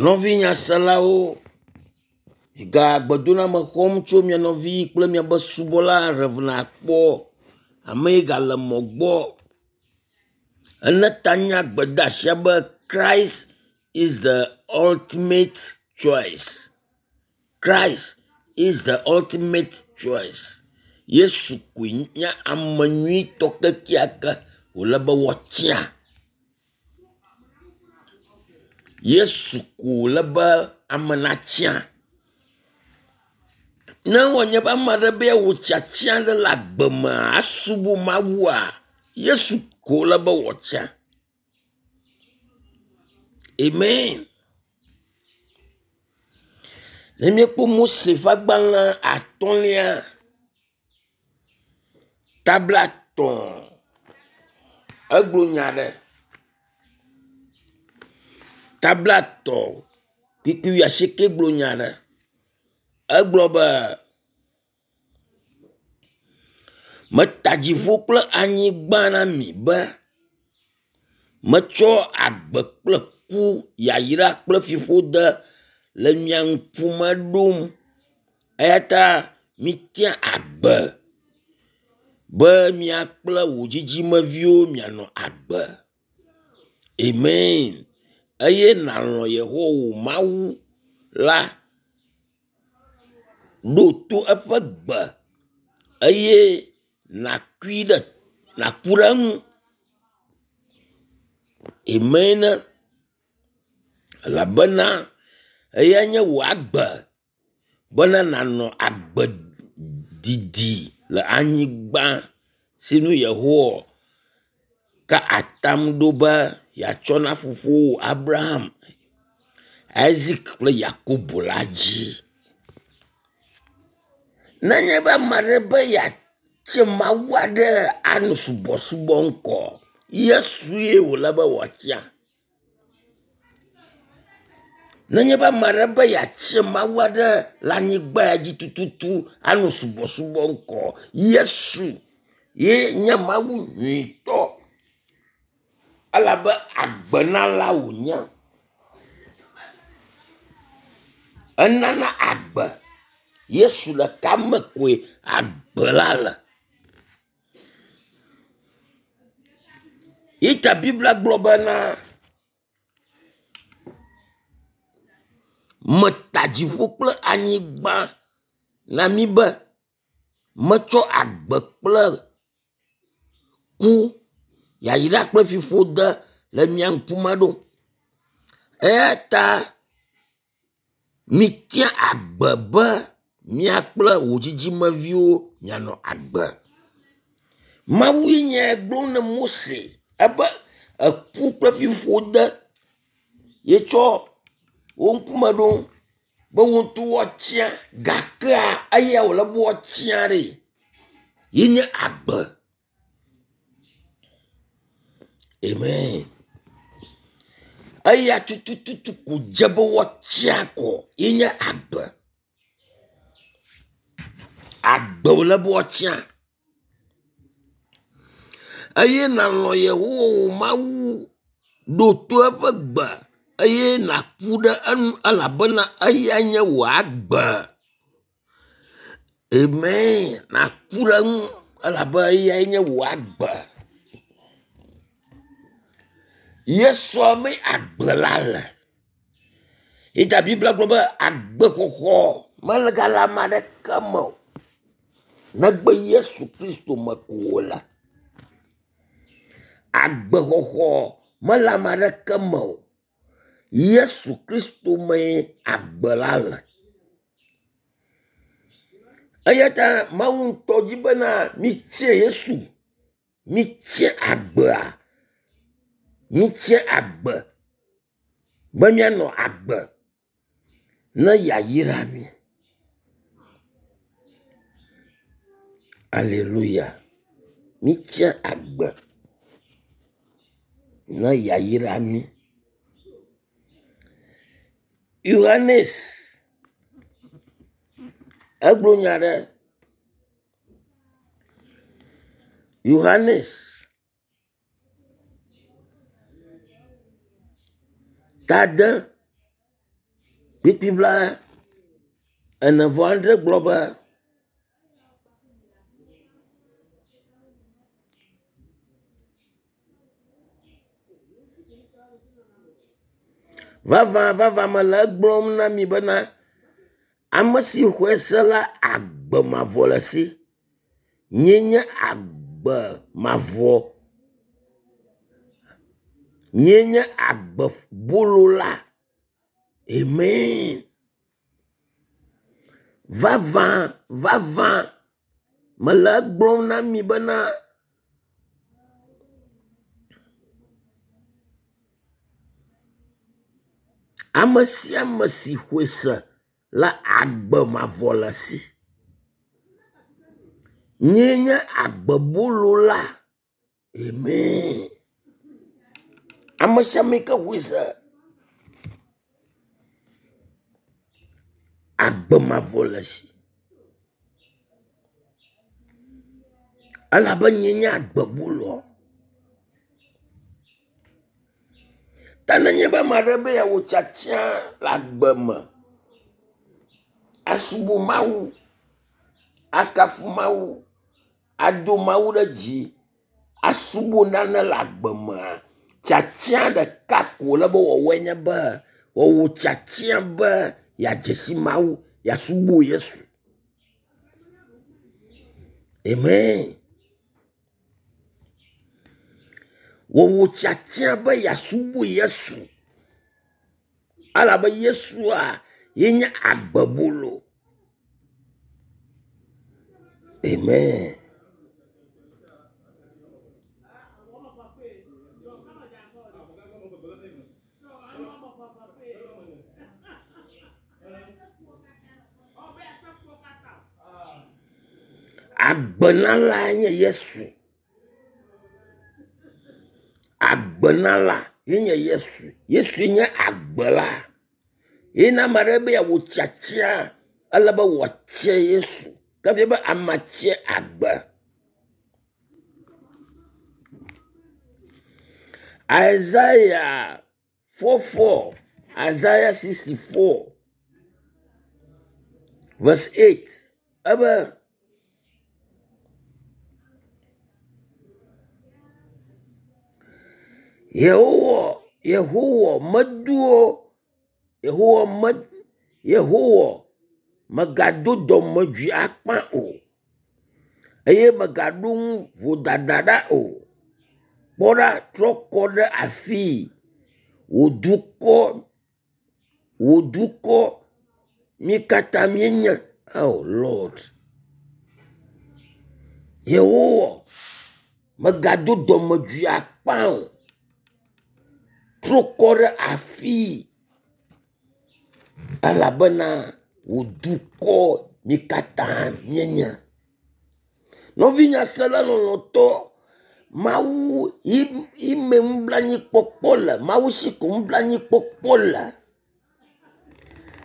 Nɔvi nyaselawo, miga gbedoname xɔm tso mia nɔvi kple miabe subɔla Rev. Akpɔ ame yi gale mɔ gbɔ. Ele ta nya gbedeasia be Christ is the ultimate choice. Christ is the ultimate choice. Yesu koe nye ame nyuitɔ kekeake wòle be woatia. Yesu ko wòle be ame natia. Ne wònye be ame aɖe be yeawɔ tiatia aɖe le agbe mea, asubɔ Mawua, Yesu ko wòle be wòatia. Amen. Ne míekpɔ Mose ƒe agbalẽ atɔ̃lia, ta blatɔ̃, egblɔ nya aɖe. Ta blatɔ̃ kpukpui wuiasieke gblɔ nya aɖe. Egblɔ be, Meta dziƒo kple anyigba na mi be metsɔ agbe kple ku, yayra kple fiƒode le mia ŋkume ɖom. Eya ta mitia agbe be mia kple wò dzidzimeviwo mianɔ agbe. Amen. Eye nàlɔ̃ Yehowa wò Mawu la. Ɖo to eƒe gbe eye nàkui ɖe nàku ɖe eŋu. Amen. Elabena eyae nye wò agbe bena nànɔ agbe didi le anyigba si nu Yehowa ka atam ɖo be yeatsɔ na fofowò Abraham, Isak kple Yakobo la dzi. Nenye be ame aɖe be yeatse Mawu aɖe anɔ subɔsubɔ ŋkɔ, Yesue wòle be wòatia. Nenye be ame aɖe be yeatse Mawu aɖe le anyigba ya dzi tututu anɔ subɔsubɔ ŋkɔ, Yesu ye nye Mawu nyuitɔ elabe agbenala wònye. Enana agbe. Yesu ɖeka me koe agbe la le. Yi ta Biblia gblɔ bena meta dziƒo kple anyigba na mí be metsɔ agbe kple ku, yayra kple fiƒode le mia ŋkume ɖom. Eya ta mitia agbe be mia kple wò dzidzimeviwo mianɔ agbe. Mawue nye gblɔ na Mose ebe eku kple fiƒode yetsɔ wo ŋkume ɖo be wo ŋutɔ woatia gakea eya wòle be woatia ɖe ye nye agbe. Amen. Eya tutututu ko dze be woatia kɔ ye nye agbe. Agbe wòle be woatia. Eye nàlɔ̃ Yehowa wò Mawu, ɖo to eƒe gbe eye nàku ɖe enu elabena eyae nye wò agbe. Amen. Nàku ɖe eŋu elabe eyae nye wò agbe. Yesua mee agbe la le. Yi ta Biblia gblɔ be agbexɔxɔ mele gale ame aɖeke me o negbe Yesu Kristo me ko wòle. Agbexɔxɔ mele ame aɖeke me o. Yesu Kristo mee agbe la le. Eya ta Mawu ŋutɔ dzi bena mitse Yesu, mitse agbea, mitse agbe be míanɔ agbe ne yeayra mí. Aleluya. Mitse agbe ne yeayra mí. Yohanes egblɔ nya ɖe. Yohanes ta de. Kpukpui bla ene vɔ adre gblɔ be, Vavã vavã mele egblɔm na mi bena, ame si xɔe se la agbe mavɔ le esi. Nyee nye agbe mavɔ. Nyee nye agbe bolo la. Amen. Vavã vavã mele egblɔm na mi bena ame sia ame si xɔe se la agbe mavɔ le esi. Nyee nye agbebolo la. Amen. Ame sia ame yi ke xɔe se agbe mavɔ le esi. Elabe nyee nye agbeboloa. Ta nenye be ame aɖe be yeawɔ tiatia le agbe me, asubɔ Mawu, akafu Mawu, ado Mawu ɖe dzi, asubɔ nane le agbe mea, tiatia ɖeka ko wòle be wòawɔe nye be wòawɔ tiatia be yeadze si Mawu, yeasubɔ Yesu. Amen. Wòwɔ tiatia be yeasubɔ Yesu elabe Yesua ye nye agbebolo. Amen. Agbenala nye Yesu. Agbenala ye nye Yesu. Yesue nye agbe la. Ye ne ame aɖe be yeawɔ tiatia, ele be wòatia Yesu. Ke efia be amea tia agbe. Isaiah 44, Isaiah 64 verse 8 ebe Yehowa Yehowa medoa Yehowa me Yehowa mègado dɔmedzoe akpa o eye mègaɖo ŋu vodada ɖa o. Kpɔ ɖa, trɔ kɔ ɖe afii. Wò dukɔ, wò dukɔ mí katã míenye. Oh Lord. Yehowa, mègado dɔmedzoe akpa o. Trɔ kɔ ɖe afii elabena wò dukɔ mí katã míenye. Nɔvi nyasela lɔlɔ̃tɔ, Mawu yi me nublanuikpɔkpɔ le, Mawu si ko nublanuikpɔkpɔ le.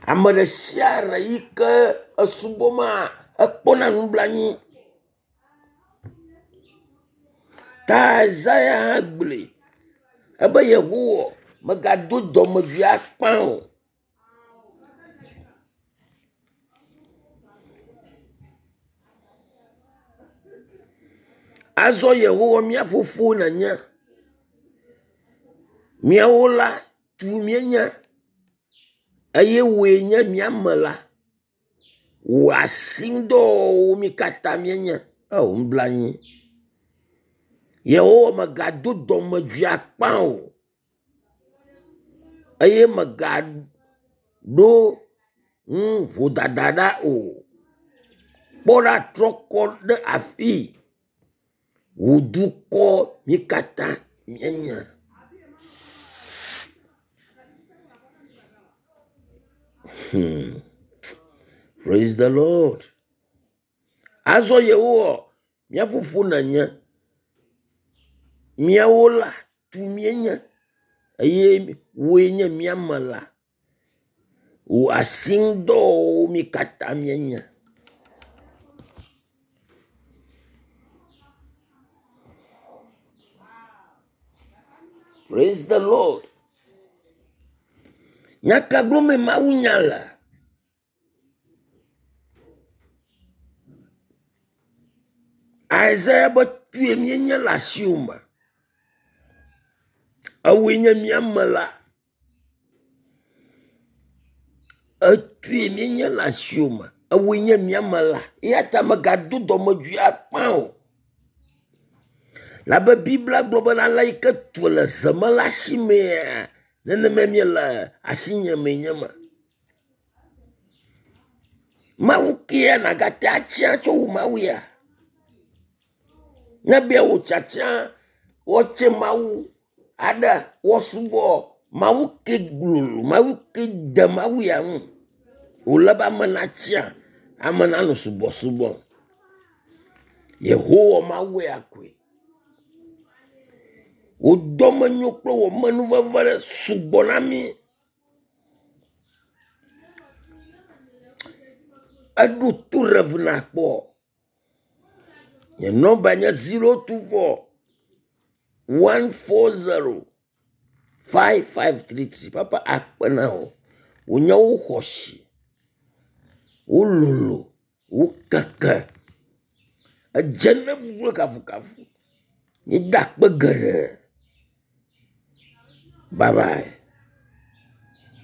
Ame ɖe sia ɖe yi ke esubɔ maa, ekpɔna nublanui. Ta Isaya hã gblɔe ebe Yehowa mègado dɔmedzoe akpa o. Azɔ Yehowa mía fofo nènye. Míawo la tu míenye eye wòe nye mía me la. Wò asiŋudɔwɔwɔwo mí katã míenye. Eo nublanui. Yehowa mègado dɔmedzoe akpa o eye mègaɖo ŋu vodada ɖa o. Kpɔ ɖa trɔ kɔ ɖe afii. Wò dukɔ mí katã míenye. Hmm. Praise the Lord. Azɔ Yehowa, mía fofo nènye. Míawo la, tu míenye eye wòe nye mía me la. Wò asiŋudɔwɔwɔwo mí katã míenye. Praise the Lord. Nya ka gblɔmee mawunya le? Isaiah be tue míenye le asiwò me. Ewòe nye mía mela. Etue míenye le asiwò me. Ewòe nye mía mela. Eya ta mègado dɔmedzoe akpa o. Labe Biblia gblɔ bena ale yi ke tu le zemela si mea, nenemae míele asinye mee nye ema. Mawu kea nàgate atsia tso wu Mawu ya. Ne be wò tsatsia woatse Mawu aɖe woasubɔ Mawu ke glolo, Mawu ke de Mawu ya ŋu. Wòle be ame natsia, ame nanɔ subɔsubɔm. Yehowa Mawu ya koe. Wò dɔmenyo kple wò amenuveve ɖe sugbɔ na mí. Eɖo to Rev. Nakpɔ. Nye nɔmba nye 024 140 5533. Papa akpe na wò. Wò nyawo xɔ asi, wololo, wokeke. Edze ne bubu kple kafukafu. Míeda akpe geɖe. Bye bye.